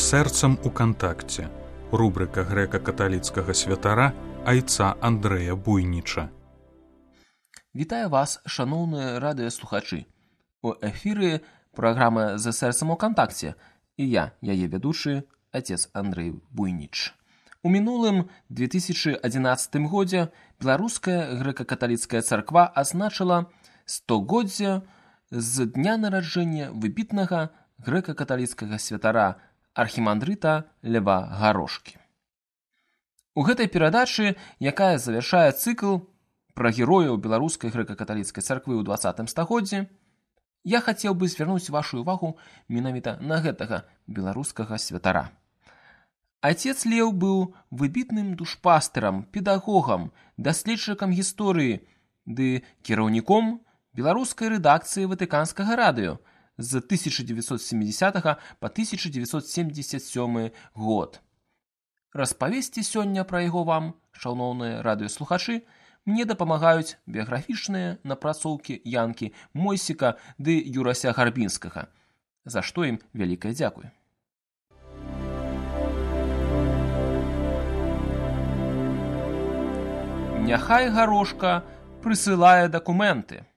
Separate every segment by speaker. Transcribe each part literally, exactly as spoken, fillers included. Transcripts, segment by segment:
Speaker 1: сэрцам у кантакце. Рубрика грэка-каталіцкага святара айца Андрэя Буйніча.
Speaker 2: Вітаю вас, шаноўныя радыёслухачы. У эфіры праграма «За сэрцам у кантакце» і я, яе вядучы, отец Андрэй Буйніч. У мінулым две тысячи адзінаццатым годзе беларуская грэка-каталіцкая царква азначыла стагоддзе з дня нараджэння выбітнага грэка-каталіцкага святара архімандрыта Льва Гарошкі. У гэтай перадачы, якая завяршае цыкл пра герояў беларускай грэка-каталіцкай царквы ў дваццатым стагоддзі, я хацеў бы звярнуць вашу увагу менавіта на гэтага беларускага святара. Отец Леў быў выбітным душпастырам, педагогам, даследчыкам гісторыі ды кіраўніком беларускай рэдакцыі ватыканскага радыё з тысяча дзевяцьсот сямідзесятага па тысяча дзевяцьсот семьдесят сёмы год. Распавесці сёння пра яго вам, шаноўныя радыёслухачы, мне дапамагаюць біяграфічныя напрацоўкі Янкі Мойсіка ды Юрася Гарбінскага, за што ім вялікае дзякуй. Няхай Гарошка прысылае дакументы.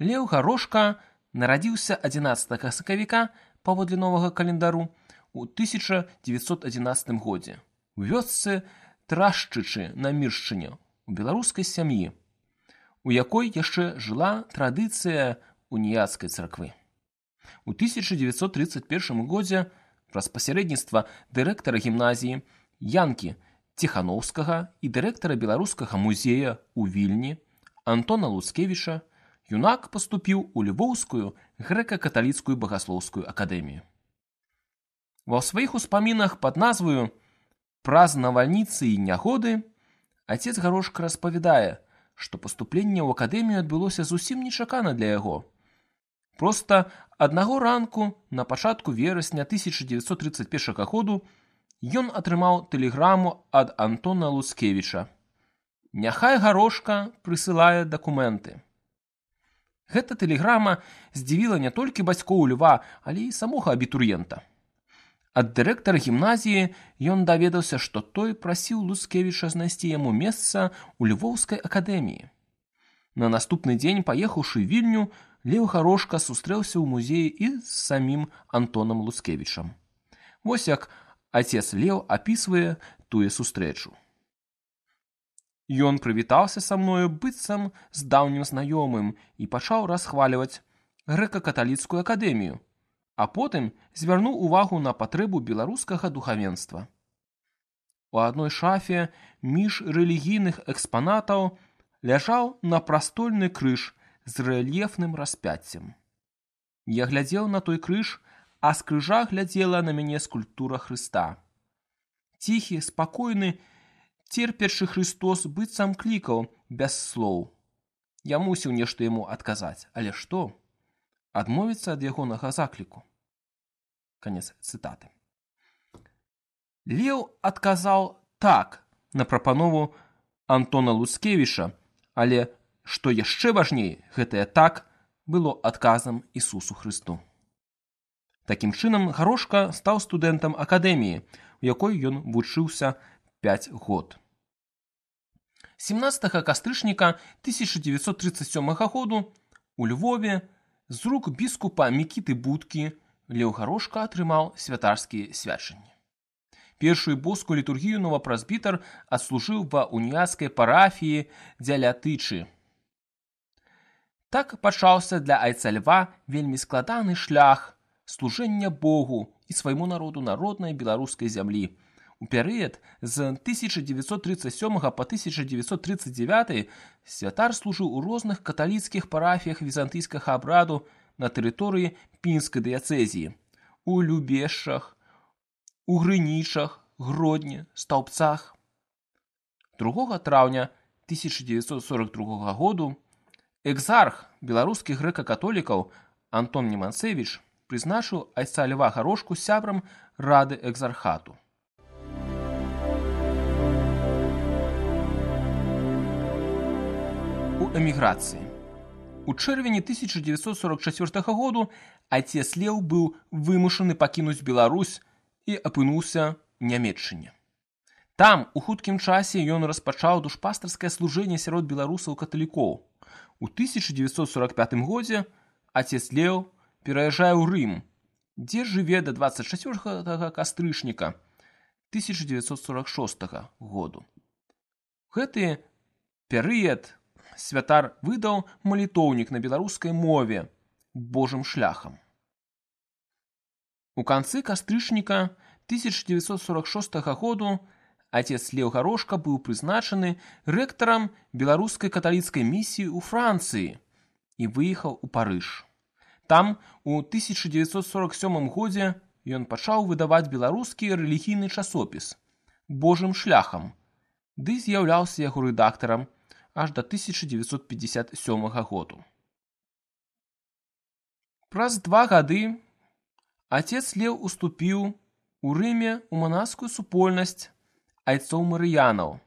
Speaker 2: Леў Гарошка нарадзіўся адзінаццатага сакавіка паводле новага календару у тысяча дзевяцьсот адзінаццатым годзе у вёсцы Трашчычы на Міршчыне у беларускай сям'і, у якой яшчэ жыла традыцыя уніяцкай царквы. У тысяча дзевяцьсот трыццаць першым годзе праз пасярэдніцтва дырэктара гімназіі Янкі Ціхановскага і дырэктара беларускага музея ў Вільні Антона Луцкевіча юнак паступіў у Львоўскую грэка-каталіцкую багаслоўскую акадэмію. Ва сваіх успамінах пад назваю «Праз навальніцы і нягоды» отец Гарошка распавядае, што паступленне ў акадэмію адбылося зусім нечакана для яго. Проста аднаго ранку на пачатку верасня тысяча дзевяцьсот трыццаць першага году ён атрымаў тэлеграму ад Антона Луцкевіча. Няхай Гарошка прысылае дакументы. Гэта тэлеграма здзівіла не толькі бацькоў Льва, але і самога абітурыента. Ад дырэктара гімназіі ён даведаўся, што той прасіў Луцкевіча знайсці яму месца ў Львоўскай акадэміі. На наступны дзень, паехаўшы ў Вільню, Леў Гарошка сустрэўся ў музеі і з самім Антонам Луцкевічам. Вось як отец Леў апісвае тую сустрэчу. Ён прывітаўся са мною быццам з даўнім знаёмым і пачаў расхваліваць грэка-каталіцкую акадэмію, а потым звярнуў увагу на патрэбу беларускага духавенства. У адной шафе між рэлігійных экспанатаў ляжаў напрастольны крыж з рэльефным распяццем. Я глядзеў на той крыж, а з крыжа глядзела на мяне скульптура Хрыста. Ціхі, спакойны, церпячы Христос быццам клікаў без слоў. Я мусіў нешта яму адказаць, але што? Адмовіцца ад ягонага закліку. Канец цытаты. Леў адказаў так на прапанову Антона Луцкевіча, але, што яшчэ важней, гэтае так было адказам Ісусу Хрысту. Такім чынам, Гарошка стаў студэнтам акадэміі, у якой ён вучыўся пяць год. сямнаццатага кастрычніка тысяча дзевяцьсот трыццаць сёмага году у Львове з рук біскупа Мікіты Будкі Леў Гарошка атрымаў святарскія свячанні. Першую боскую літургію новапрэзбітар адслужыў ва уніяцкай парафіі Дзялятычы. Так пачаўся для айца Льва вельмі складаны шлях служэння Богу і свайму народу на роднай беларускай зямлі. У перыяд з тысяча дзевяцьсот трыццаць сёмага па тысяча дзевяцьсот трыццаць дзявяты святар служыў у розных каталіцкіх парафіях візантыйскага абраду на тэрыторыі Пінскай дыяцэзіі, у Любешчах, у Грынічах, Гродні, Стаўбцах. другога траўня тысяча дзевяцьсот сорак другога году экзарх беларускіх грэка-католікаў Антон Неманцевіч прызначыў айца Льва Гарошку сябрам рады экзархату. У эміграцыі. У чэрвені тысяча дзевяцьсот сорок чацвёртага году айцец Леў быў вымушаны пакінуць Беларусь і апынуўся ў Нямецчыне. Там у хуткім часе ён распачаў душпастарскае служэнне сярод беларусаў-каталікоў. У тысяча дзевяцьсот сорок пятым годзе айцец Леў пераязджае ў Рым, дзе жыве да дваццаць чацвёртага кастрычніка тысяча дзевяцьсот сорок шостага году. Гэты перыяд святар выдаў малітоўнік на беларускай мове «Божым шляхам». У канцы кастрычніка тысяча дзевяцьсот сорок шостага году айцец Леў Гарошка быў прызначаны рэктарам беларускай каталіцкай місіі ў Францыі і выехаў у Парыж. Там у тысяча дзевяцьсот сорок сёмым годзе ён пачаў выдаваць беларускі рэлігійны часопіс «Божым шляхам», ды з'яўляўся яго рэдактарам аж да тысяча дзевяцьсот пятьдесят сёмага году. Праз два гады айцец Леў уступіў у Рыме ў манаскую супольнасць айцоў-марыянаў.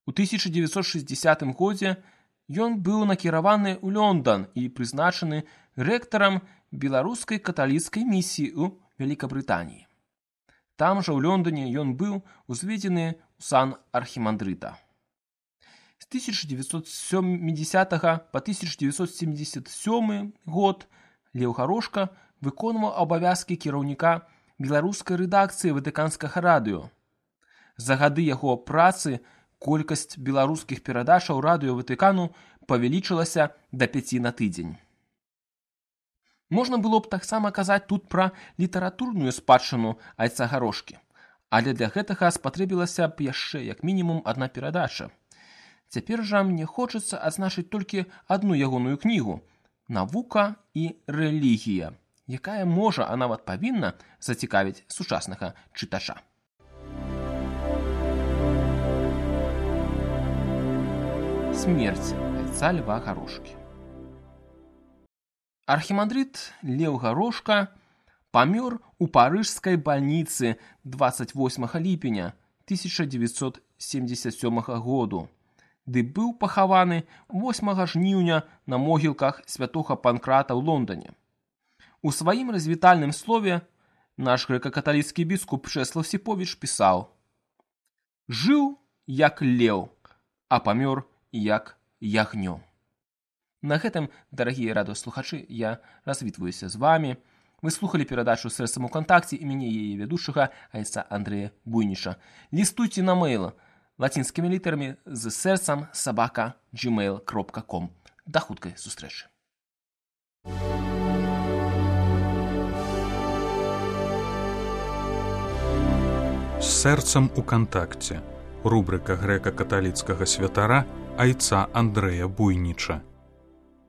Speaker 2: У тысяча дзевяцьсот шэсцідзясятым годзе ён быў накіраваны ў Лондан і прызначаны рэктарам беларускай каталіцкай місіі ў Вялікабрытаніі. Там жа ў Лондоне ён быў узведзены ў сан архімандрыта. З тысяча дзевяцьсот сямідзясятага па тысяча дзевяцьсот семьдесят сёмы год Леў Гарошка выконваў абавязкі кіраўніка беларускай рэдакцыі ватыканскага радыё. За гады яго працы колькасць беларускіх перадачаў радыё Ватыкану павялічылася да пяці на тыдзень. Можна было б таксама казаць тут пра літаратурную спадчыну айца Гарошкі, але для гэтага спатрэбілася б яшчэ як мінімум адна перадача. Цяпер жа мне хочацца адзначыць толькі адну ягоную кнігу «Навука і рэлігія», якая можа, а нават павінна зацікавіць сучаснага чытача. Смерць айца Льва Гарошкі. Архімандрыт Леў Гарошка памёр у парыжскай бальніцы дваццаць восьмага ліпеня тысяча дзевяцьсот семьдесят сёмага году, ды быў пахаваны восьмага жніўня на могілках святога Панкрата ў Лондоне. У сваім развітальным слове наш грэка-каталіцкі біскуп Чэслаў Сіповіч пісаў: «Жыў як леў, а памёр як ягнё». На гэтым, дарагія радыёслухачы, я развітваюся з вамі. Вы слухалі перадачу «Сэрцам у кантакце» і мяне яе вядучага айца Андрэя Буйніча. Лістуйце на мэйл лацінскімі літарамі з сэрцам сабака джимейл кропка ком. Да хуткай сустрэчы.
Speaker 1: З сэрцам у кантакце. Рубрыка грэка-каталіцкага святара айца Андрэя Буйніча.